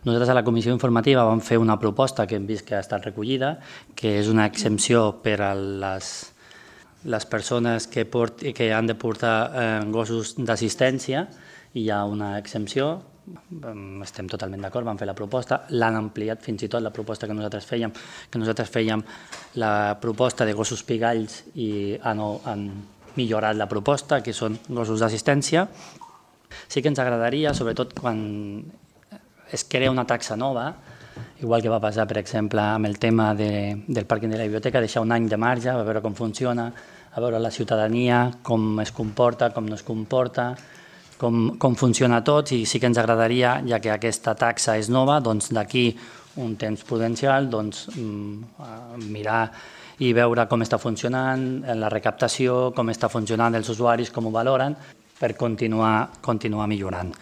Nosaltres a la comissió informativa vam fer una proposta que hem vist que ha estat recollida, que és una exempció per a les persones que han de portar gossos d'assistència. Hi ha una exempció, estem totalment d'acord, vam fer la proposta, l'han ampliat fins i tot la proposta que nosaltres fèiem la proposta de gossos pigalls i han millorat la proposta, que són gossos d'assistència. Sí que ens agradaria, sobretot quan es crea una taxa nova, igual que va passar, per exemple, amb el tema del pàrquing de la biblioteca, deixar un any de marge, a veure com funciona, a veure la ciutadania, com es comporta, com no es comporta, com funciona tot, i sí que ens agradaria, ja que aquesta taxa és nova, d'aquí un temps prudencial, mirar i veure com està funcionant la recaptació, com està funcionant els usuaris, com ho valoren, per continuar millorant.